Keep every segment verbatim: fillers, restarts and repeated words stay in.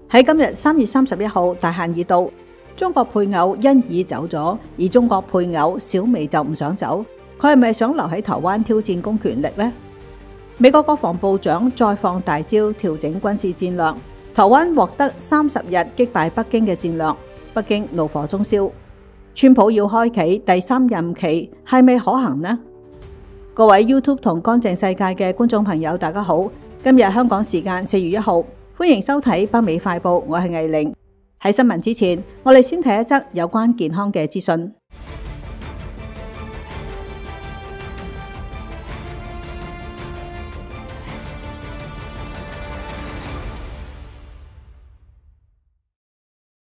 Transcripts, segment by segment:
喺今日三月三十一號大限已到，中國配偶欣宜走咗，而中國配偶小薇就唔想走，佢係咪想留喺台灣挑戰公權力呢？美國國防部長再放大招調整軍事戰略，台灣獲得三十日擊敗北京嘅戰略，北京怒火中燒。川普要開啟第三任期係咪可行呢？各位 YouTube 同乾淨世界嘅觀眾朋友大家好，今日香港時間四月一號，歡迎收睇北美快報，我係藝玲。喺新聞之前，我哋先睇一則有關健康嘅資訊。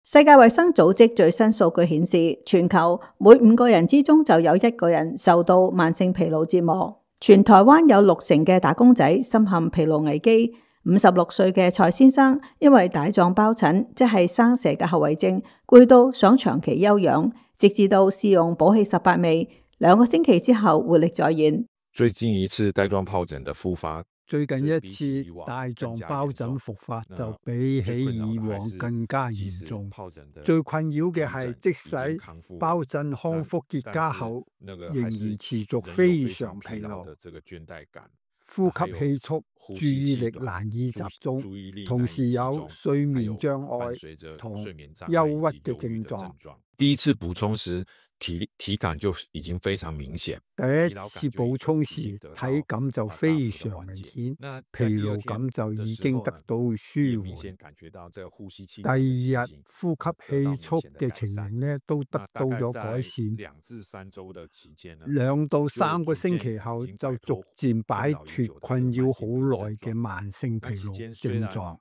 世界衛生組織最新數據顯示，全球每五個人之中就有一個人受到慢性疲勞折磨。全台灣有六成嘅打工仔深陷疲勞危機。五十六歲嘅蔡先生因為帶狀疱疹，即係生蛇嘅後遺症，攰到想長期休養，直至到試用寶氣十八味，兩個星期之後活力再現。最近一次帶狀疱疹的復發，最近一次帶狀疱疹復發就比起以往更加嚴重。最困擾嘅係，即使疱疹康復結痂後，仍然持續非常疲勞、呼吸氣促、注意力難以集中，同時有睡眠障礙同憂鬱嘅症狀。第一次補充時，體體感就已經非常明顯。第一次補充時，體感就非常明顯，疲勞感就已經得到舒緩。第二日呼吸氣促嘅情形呢，都得到咗改善。兩到三個星期後，就逐漸擺脫困擾好耐嘅慢性疲勞症狀。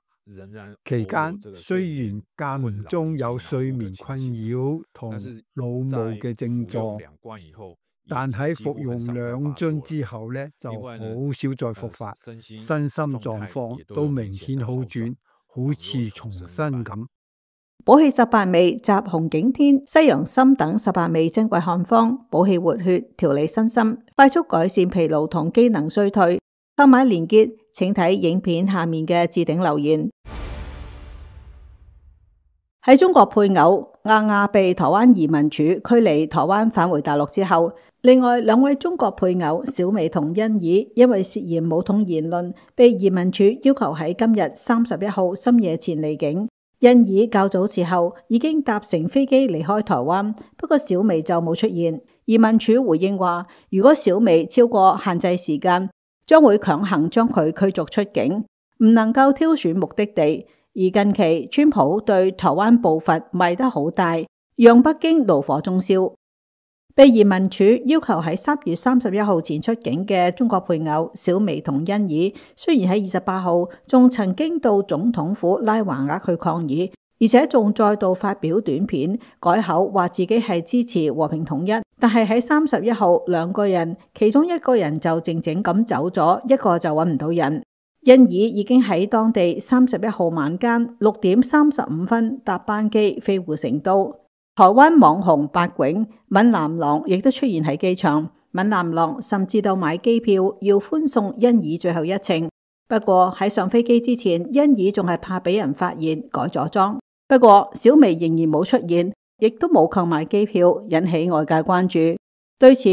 期間雖然間唔中有睡眠困擾同腦霧嘅症狀，但喺服用兩樽之後呢，就好少再復發，身心狀況都明顯好轉，好似重生咁。寶氣十八味集紅景天、西洋參等十八味珍貴漢方，補氣活血、調理身心，快速改善疲勞同機能衰退。購買連結請睇影片下面嘅置頂留言。喺中國配偶亞亞被台灣移民署驅離台灣返回大陸之後，另外兩位中國配偶小薇同欣宜因為涉嫌武統言論，被移民署要求喺今日三十一號深夜前離境。欣宜較早時候已經搭乘飛機離開台灣，不過小薇就冇出現。移民署回應話，如果小薇超過限制時間，將會強行將佢驅逐出境，唔能夠挑選目的地。而近期川普對台灣步伐邁得好大，讓北京怒火中燒。被移民署要求喺三月三十一號前出境嘅中國配偶小薇同欣宜，雖然喺二十八號仲曾經到總統府拉華額去抗議，而且仲再度發表短片改口話自己係支持和平統一，但係喺三十一號兩個人其中一個人就靜靜咁走咗，一個就揾唔到人。欣宜已經喺當地三十一號晚間六點三十五分搭班機飛回成都。台灣網紅白囧閩南郎亦都出現喺機場，閩南郎甚至到買機票要歡送欣宜最後一程。不過喺上飛機之前，欣宜仲係怕俾人發現改咗裝。不過小薇仍然冇出現，亦都冇購買機票，引起外界關注。對此，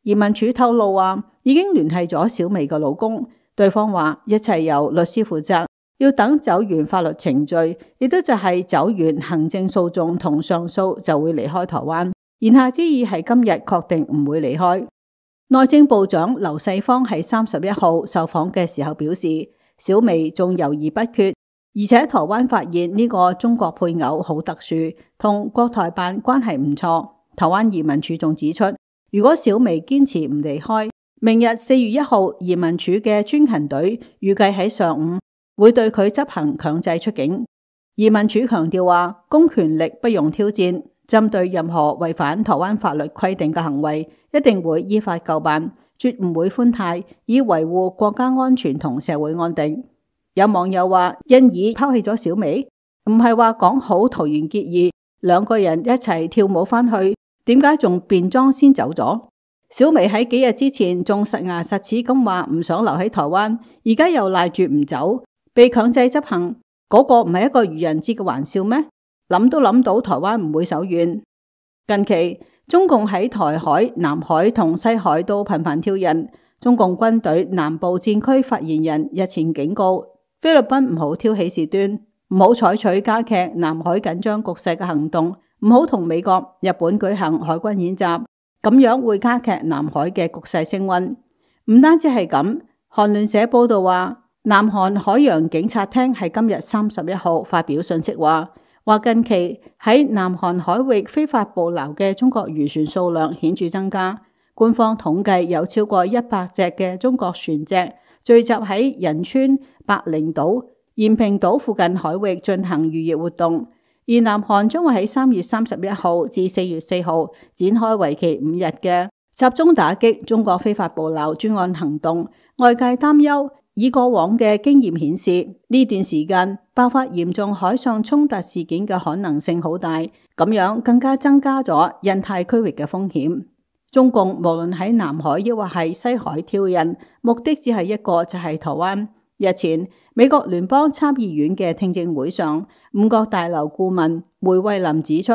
移民署透露話已經聯繫咗小薇嘅老公。對方話一切由律師負責，要等走完法律程序，亦都就係走完行政訴訟同上訴就會離開台灣。言下之意係今日確定唔會離開。內政部長劉世芳喺三十一號受訪嘅時候表示，小薇仲猶豫不決，而且台灣發現呢個中國配偶好特殊，同國台辦關係唔錯。台灣移民署仲指出，如果小薇堅持唔離開，明日四月一號，移民署嘅專勤隊預計喺上午會對佢執行強制出境。移民署強調話，公權力不容挑戰，針對任何違反台灣法律規定嘅行為，一定會依法究辦，絕唔會寬貸，以維護國家安全同社會安定。有網友話，欣宜拋棄咗小薇，唔係話講好桃園結義，兩個人一齊跳舞返去，點解仲變裝先走咗？小薇喺幾日之前仲實牙實齒咁話唔想留喺台灣，而家又賴住唔走，被強制執行。嗰個唔係一個愚人節嘅玩笑咩？諗都諗到台灣唔會手軟。近期中共喺台海、南海同西海都頻繁挑釁。中共軍隊南部戰區發言人日前警告菲律賓唔好挑起事端，唔好採取加劇南海緊張局勢嘅行動，唔好同美國、日本舉行海軍演習，咁樣會加劇南海嘅局勢升溫。唔單止係咁，韓聯社報道話，南韓海洋警察廳喺今日三十一號發表信息話，話近期喺南韓海域非法捕撈嘅中國漁船數量顯著增加。官方統計有超過一百隻嘅中國船隻聚集喺仁川、白翎島、延平島附近海域進行漁業活動，而南韓將會喺三月三十一號至四月四號展開為期五日嘅集中打擊中國非法捕撈專案行動。外界擔憂，以過往嘅經驗顯示，呢段時間爆發嚴重海上衝突事件嘅可能性好大，咁樣更加增加咗印太區域嘅風險。中共無論喺南海抑或係西海挑釁，目的只係一個，就係台灣。日前，美國聯邦參議院嘅聽證會上，五角大樓顧問梅惠林指出，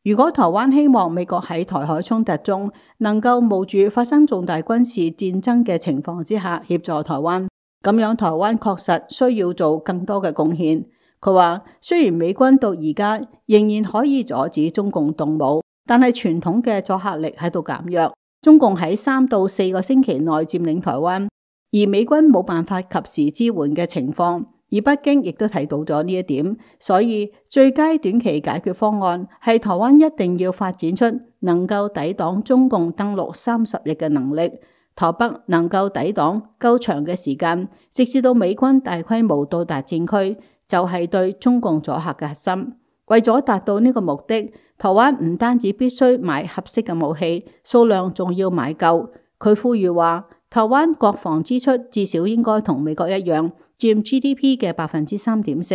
如果台灣希望美國喺台海衝突中能夠冒住發生重大軍事戰爭嘅情況之下協助台灣，咁樣台灣確實需要做更多嘅貢獻。佢話，雖然美軍到而家仍然可以阻止中共動武，但係傳統嘅阻嚇力喺度減弱，中共喺三到四個星期內佔領台灣，而美軍冇辦法及時支援嘅情況，而北京亦都睇到咗呢一點，所以最佳短期解決方案係台灣一定要發展出能夠抵擋中共登陸三十日嘅能力，台北能夠抵擋夠長嘅時間，直至到美軍大規模到達戰區，就係對中共阻嚇嘅核心。為咗達到呢個目的，台灣唔單止必須買合適嘅武器，數量仲要買夠。佢呼籲話，台灣國防支出至少應該同美國一樣，佔 G D P 嘅百分之三點四，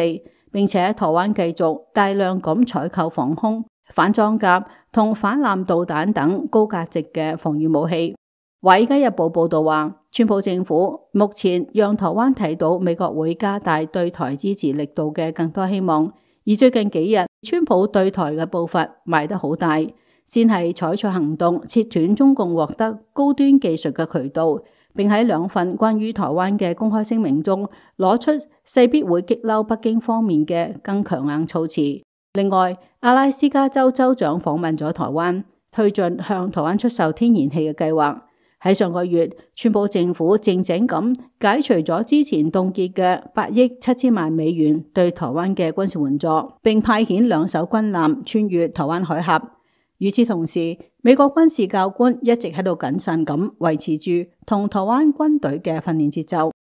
並且台灣繼續大量咁採購防空、反裝甲同反艦導彈等高價值嘅防禦武器。華爾街日報報道話，川普政府目前讓台灣睇到美國會加大對台支持力度嘅更多希望。而最近幾日，川普對台嘅步伐邁得好大，先係採取行動切斷中共獲得高端技術嘅渠道，並喺兩份關於台灣嘅公開聲明中攞出勢必會激嬲北京方面嘅更強硬措辭。另外，阿拉斯加州州長訪問咗台灣，推進向台灣出售天然氣嘅計劃。喺上個月，川普政府靜靜咁解除咗之前凍結嘅八億七千萬美元對台灣嘅軍事援助，並派遣兩艘軍艦穿越台灣海峽。與此同時，美國軍事教官一直喺度謹慎咁維持住同台灣軍隊嘅訓練節奏。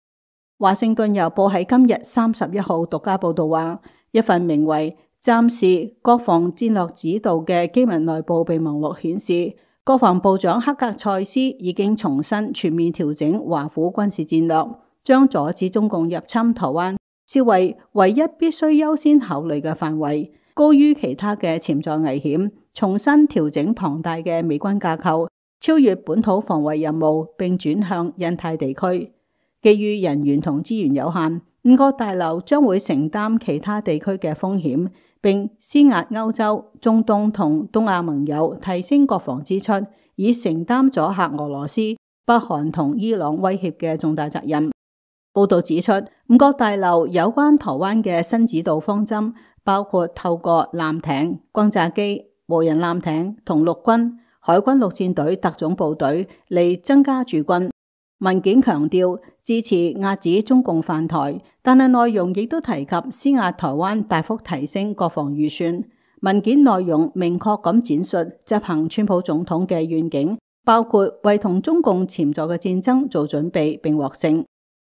華盛頓郵報喺今日三十一號獨家報道話，一份名為《暫時國防戰略指導》嘅機密內部備忘錄顯示，國防部長克格塞斯已經重新全面調整華府軍事戰略，將阻止中共入侵台灣視為唯一必須優先考慮嘅範圍，高於其他嘅潛在危險。重新調整龐大嘅美軍架構，超越本土防衛任務，並轉向印太地區。基於人員同資源有限，五角大樓將會承擔其他地區嘅風險，並施壓歐洲、中東同東亞盟友提升國防支出，以承擔阻嚇俄羅斯、北韓同伊朗威脅嘅重大責任。報道指出，五角大樓有關台灣嘅新指導方針，包括透過艦艇、轟炸機、無人艦艇同陸軍、海軍陸戰隊特種部隊嚟增加駐軍。文件強調支持遏止中共犯台，但係內容亦都提及施壓台灣大幅提升國防預算。文件內容明確咁展述執行川普總統嘅願景，包括為同中共潛在嘅戰爭做準備並獲勝。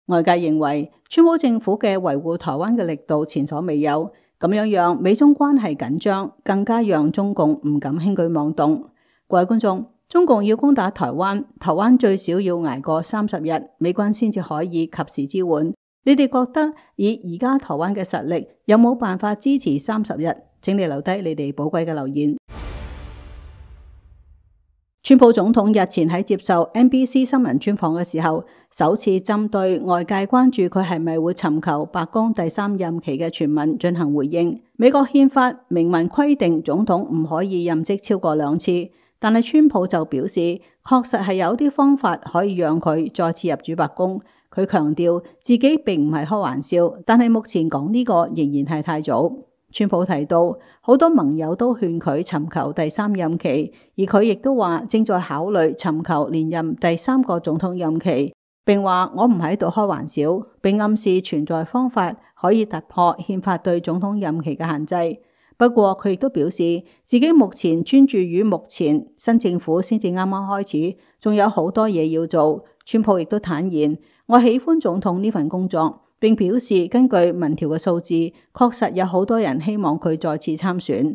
外界認為川普政府嘅維護台灣嘅力度前所未有，咁樣讓美中關係緊張，更加讓中共唔敢輕舉妄動。各位觀眾，中共要攻打台灣，台灣最少要捱過三十日，美軍先至可以及時支援。你哋覺得以而家台灣嘅實力，有冇辦法支持三十日？請你留低你哋寶貴嘅留言。川普總統日前喺接受 N B C 新聞專訪嘅時候，首次針對外界關注佢係咪會尋求白宮第三任期嘅傳聞進行回應。美國憲法明文規定總統唔可以任職超過兩次，但係川普就表示，確實係有啲方法可以讓佢再次入主白宮。佢強調自己並唔係開玩笑，但係目前講呢個仍然係太早。川普提到，好多盟友都勸佢尋求第三任期，而佢亦都話正在考慮尋求連任第三個總統任期，並話我唔喺度開玩笑，並暗示存在方法可以突破憲法對總統任期嘅限制。不過佢亦都表示，自己目前專注於目前新政府先至啱啱開始，仲有好多嘢要做。川普亦都坦言，我喜歡總統呢份工作，並表示根據民調嘅數字，確實有好多人希望佢再次參選。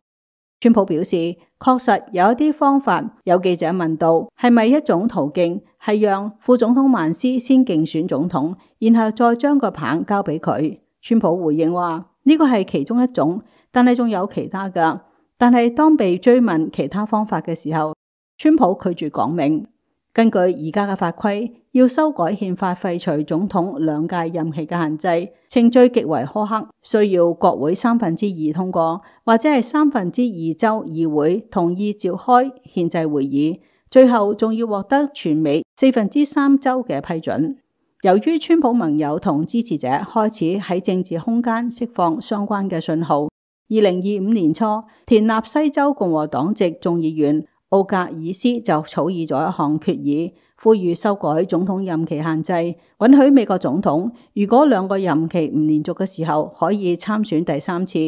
川普表示，確實有一啲方法。有記者問到，係咪一種途徑係讓副總統曼斯先競選總統，然後再將個棒交俾佢？川普回應話，呢個係其中一種，但係仲有其他噶。但係當被追問其他方法嘅時候，川普拒絕講明。根據而家嘅法規，要修改憲法廢除總統兩屆任期嘅限制，程序極為苛刻，需要國會三分之二通過，或者係三分之二州議會同意召開憲制會議，最後仲要獲得全美四分之三州嘅批准。由於川普盟友同支持者開始喺政治空間釋放相關嘅信號，二零二五年初，田納西州共和黨籍眾議員奧格爾斯就草擬咗一項決議，呼籲修改總統任期限制，允許美國總統如果兩個任期唔連續嘅時候，可以參選第三次，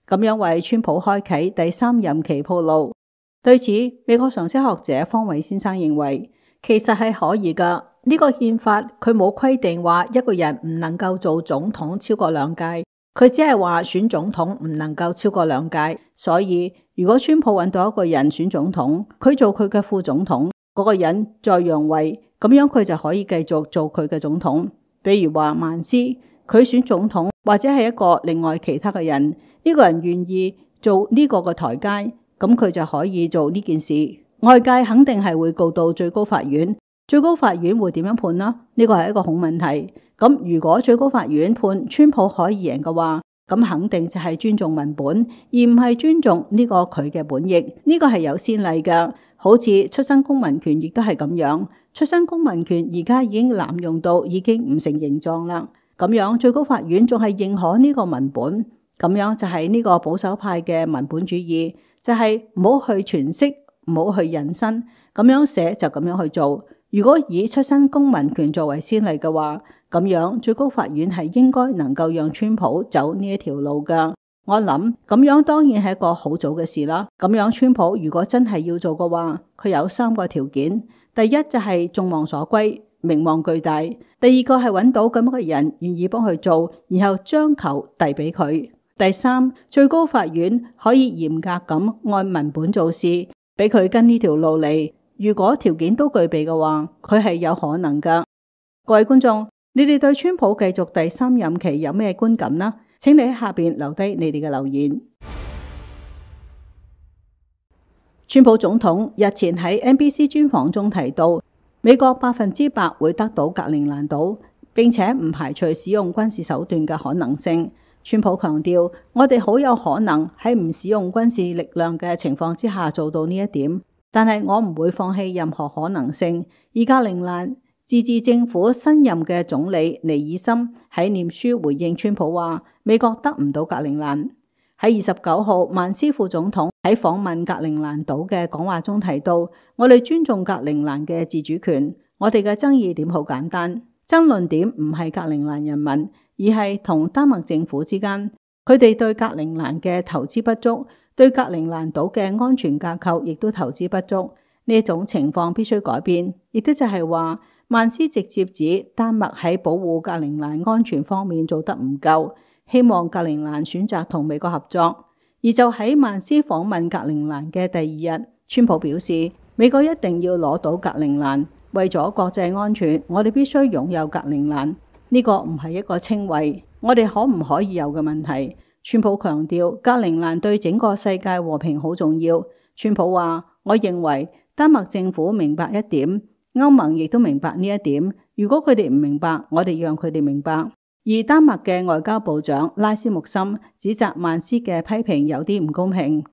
咁樣為川普開啟第三任期鋪路。對此，美國常識學者方偉先生認為，其實係可以噶。呢個憲法佢冇規定話一個人唔能夠做總統超過兩屆，佢只係話選總統唔能夠超過兩屆，所以如果川普揾到一個人選總統，佢做佢嘅副總統，嗰個人再讓位，咁樣佢就可以繼續做佢嘅總統。比如話曼斯，佢選總統或者係一個另外其他嘅人，呢個人願意做呢個嘅台階，咁佢就可以做呢件事。外界肯定係會告到最高法院，最高法院會點樣判呢？呢個係一個好問題。咁如果最高法院判川普可以贏嘅話，咁肯定就係尊重文本，而唔係尊重呢個佢嘅本意。呢個係有先例嘅，好似出生公民權亦都係咁樣。出生公民權而家已經濫用到已經唔成形狀啦。咁樣最高法院仲係認可呢個文本，咁樣就係呢個保守派嘅文本主義，就係唔好去詮釋，唔好去引申，咁樣寫就咁樣去做。如果以出生公民權作為先例嘅話，咁樣最高法院係應該能夠讓川普走呢一條路噶。我諗咁樣當然係一個好早嘅事啦。咁樣川普如果真係要做嘅話，佢有三個條件。第一就係眾望所歸，名望巨大；第二個係揾到咁樣嘅人願意幫佢做，然後將球遞俾佢；第三，最高法院可以嚴格咁按文本做事，俾佢跟呢條路嚟。如果條件都具備嘅話，佢係有可能噶。各位觀眾，你哋對川普繼續第三任期有咩觀感呢？請你喺下邊留低你哋嘅留言。川普總統日前喺 N B C 專訪中提到，美國百分之百會得到格陵蘭島，並且唔排除使用軍事手段嘅可能性。川普強調，我哋好有可能喺唔使用軍事力量嘅情況之下做到呢一點。但係我唔會放棄任何可能性。而格陵蘭自治政府新任嘅總理尼爾森喺念書回應川普話，美國得唔到格陵蘭。喺二十九號，曼斯副總統喺訪問格陵蘭島嘅講話中提到，我哋尊重格陵蘭嘅自主權。我哋嘅爭議點好簡單，爭論點唔係格陵蘭人民，而係同丹麥政府之間，佢哋對格陵蘭嘅投資不足。對格陵蘭島嘅安全架構亦都投資不足，呢種情況必須改變。亦都就係話，曼斯直接指丹麥喺保護格陵蘭安全方面做得唔夠，希望格陵蘭選擇同美國合作。而就喺曼斯訪問格陵蘭嘅第二日，川普表示，美國一定要攞到格陵蘭，為咗國際安全，我哋必須擁有格陵蘭。呢個唔係一個稱謂，我哋可唔可以有嘅問題。川普強調，格陵蘭對整個世界和平好重要。川普話，我認為丹麥政府明白一點，歐盟亦都明白呢一點。如果佢哋唔明白，我哋讓佢哋明白。而丹麥嘅外交部長拉斯穆森指責曼斯嘅批評有啲唔公平。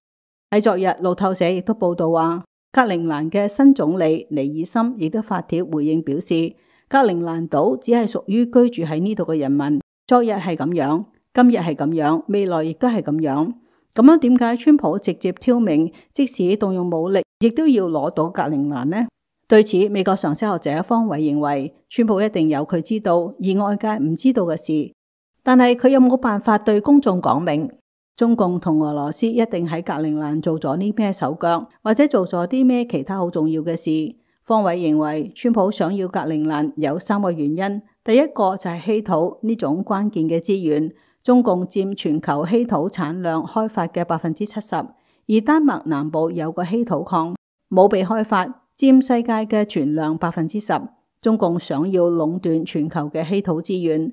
喺昨日，路透社亦都報道話，格陵蘭嘅新總理尼爾森亦都發帖回應表示，格陵蘭島只係屬於居住喺呢度嘅人民。昨日係咁樣，今日係咁樣，未來亦都係咁樣。咁樣點解川普直接挑明，即使動用武力，亦都要攞到格陵蘭呢？對此，美國常識學者方偉認為，川普一定有佢知道而外界唔知道嘅事，但係佢有冇辦法對公眾講明？中共同俄羅斯一定喺格陵蘭做咗啲咩手腳，或者做咗啲咩其他好重要嘅事？方偉認為，川普想要格陵蘭有三個原因，第一個就係稀土呢種關鍵嘅資源。中共佔全球稀土產量開發嘅百分之七十，而丹麥南部有個稀土礦冇被開發，佔世界嘅存量百分之十。中共想要壟斷全球嘅稀土資源。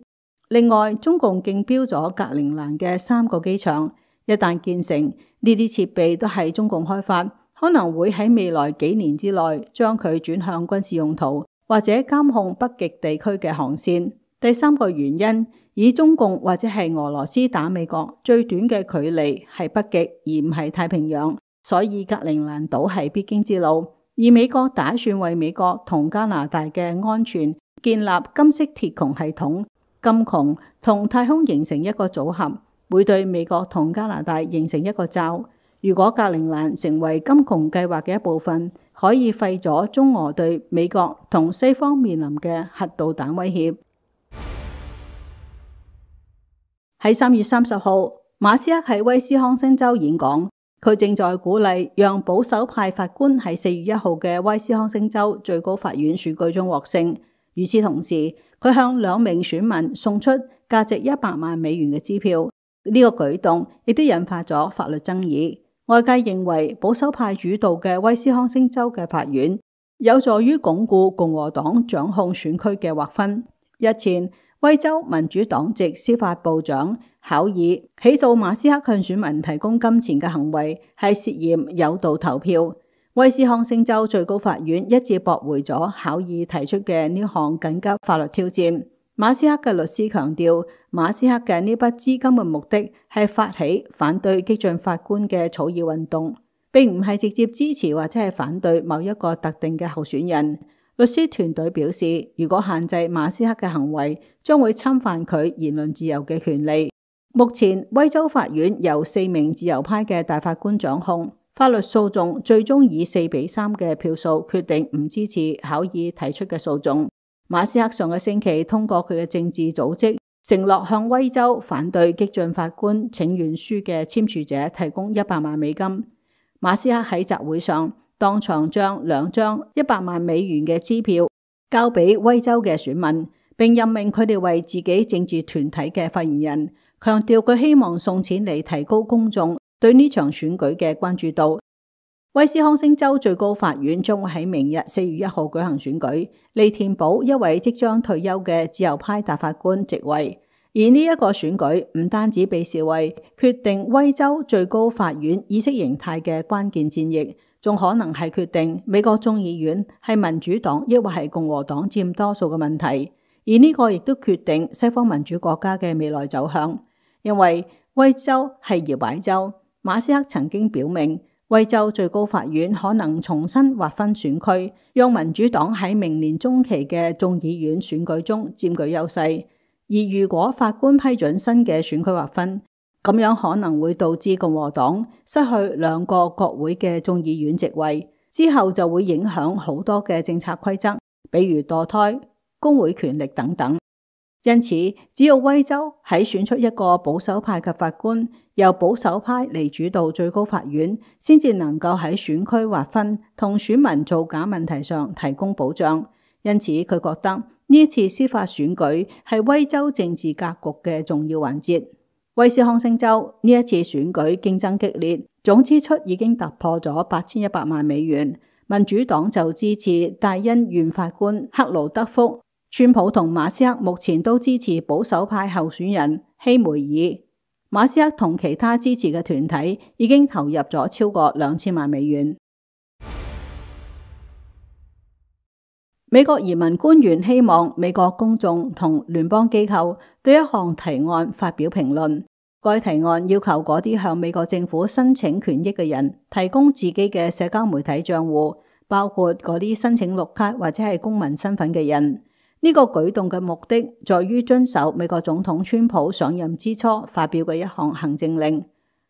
另外，中共競標咗格陵蘭嘅三個機場，一旦建成，呢啲設備都係中共開發，可能會喺未來幾年之內將佢轉向軍事用途，或者監控北極地區嘅航線。第三個原因，以中共或者係俄羅斯打美國最短嘅距離係北極，而唔係太平洋，所以格陵蘭島係必經之路。而美國打算為美國同加拿大嘅安全建立金色鐵穹系統，金穹同太空形成一個組合，會對美國同加拿大形成一個罩。如果格陵蘭成為金穹計劃嘅一部分，可以廢咗中俄對美國同西方面臨嘅核導彈威脅。喺三月三十號，馬斯克喺威斯康星州演講，佢正在鼓勵讓保守派法官喺四月一號嘅威斯康星州最高法院選舉中獲勝。與此同時，佢向兩名選民送出價值一百萬美元嘅支票。呢、這個舉動亦都引發咗法律爭議。外界認為保守派主導嘅威斯康星州嘅法院有助於鞏固共和黨掌控選區嘅劃分。日前，威州民主黨籍司法部長考爾起訴馬斯克向選民提供金錢嘅行為係涉嫌誘導投票。威斯康星州最高法院一致駁回咗考爾提出嘅呢項緊急法律挑戰。馬斯克嘅律師強調，馬斯克嘅呢筆資金嘅目的係發起反對激進法官嘅草擬運動，並唔係直接支持或者係反對某一個特定嘅候選人。律師團隊表示，如果限制馬斯克嘅行為，將會侵犯佢言論自由嘅權利。目前，威州法院由四名自由派嘅大法官掌控，法律訴訟最終以四比三嘅票數決定唔支持考爾提出嘅訴訟。馬斯克上個星期通過佢嘅政治組織，承諾向威州反對激進法官請願書嘅簽署者提供一百萬美金。馬斯克喺集會上當場將兩張一百萬美元嘅支票交俾威州嘅選民，並任命佢哋為自己政治團體嘅發言人，強調佢希望送錢嚟提高公眾對呢場選舉嘅關注度。威斯康星州最高法院將會喺明日四月一號舉行選舉，嚟填補一位即將退休嘅自由派大法官席位。而呢一個選舉唔單止被視為決定威州最高法院意識形態嘅關鍵戰役，仲可能係決定美國眾議院係民主黨抑或係共和黨佔多數嘅問題。而呢個亦都決定西方民主國家嘅未來走向。因為威州係搖擺州，馬斯克曾經表明，威州最高法院可能重新劃分選區，讓民主黨喺明年中期嘅眾議院選舉中佔據優勢。而如果法官批准新嘅選區劃分，咁樣可能會導致共和黨失去兩個國會嘅眾議院席位，之後就會影響好多嘅政策規則，比如墮胎、工會權力等等。因此，只要威州喺選出一個保守派嘅法官，由保守派嚟主導最高法院，先至能夠喺選區劃分同選民造假問題上提供保障。因此，佢覺得呢一次司法選舉係威州政治格局嘅重要環節。威斯康星州呢一次選舉競爭激烈，總支出已經突破咗八千一百萬美元。民主黨就支持戴恩縣法官克勞德福，川普同馬斯克目前都支持保守派候選人希梅爾。馬斯克同其他支持嘅團體已經投入咗超過兩千萬美元。美國移民官員希望美國公眾同聯邦機構對一項提案發表評論。該提案要求嗰啲向美國政府申請權益嘅人提供自己嘅社交媒體賬戶，包括嗰啲申請綠卡或者係公民身份嘅人。呢個舉動嘅目的在於遵守美國總統川普上任之初發表嘅一項行政令。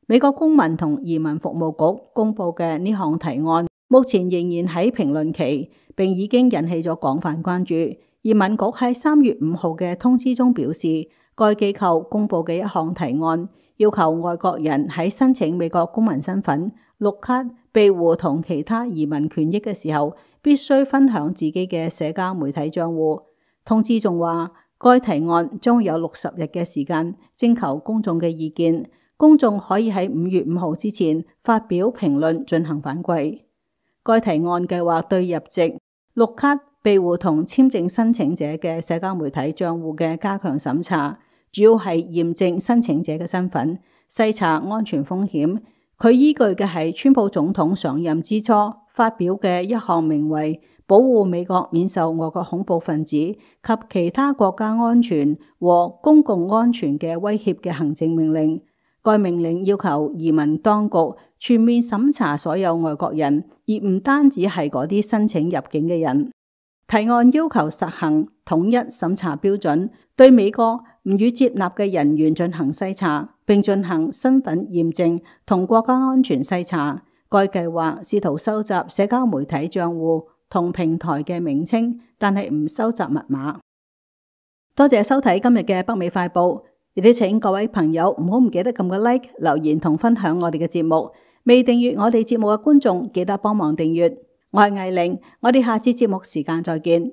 美國公民同移民服務局公佈嘅呢項提案，目前仍然喺評論期，並已經引起咗廣泛關注。移民局喺三月五號嘅通知中表示，該機構公佈嘅一項提案，要求外國人喺申請美國公民身份、綠卡、庇護同其他移民權益嘅時候，必須分享自己嘅社交媒體賬戶。通知仲話，該提案將有六十日嘅時間徵求公眾嘅意見，公眾可以喺五月五號之前發表評論進行反饋。該提案計劃對入籍、綠卡、庇護同簽證申請者嘅社交媒體賬戶嘅加強審查，主要係驗證申請者嘅身份，篩查安全風險。佢依據嘅係川普總統上任之初發表嘅一項名為保護美國免受外國恐怖分子及其他國家安全和公共安全嘅威脅嘅行政命令。該命令要求移民當局全面審查所有外國人，而唔單止係嗰啲申請入境嘅人。提案要求實行統一審查標準，對美國唔予接納嘅人員進行篩查，並進行身份驗證同國家安全篩查。該計劃試圖收集社交媒體賬戶同平台嘅名稱，但係唔收集密碼。多謝收睇今日嘅北美快報。亦都請各位朋友唔好唔記得撳個 like、留言同分享我哋嘅節目。未訂閱我哋節目嘅觀眾，記得幫忙訂閱。我係艾玲，我哋下次節目時間再見。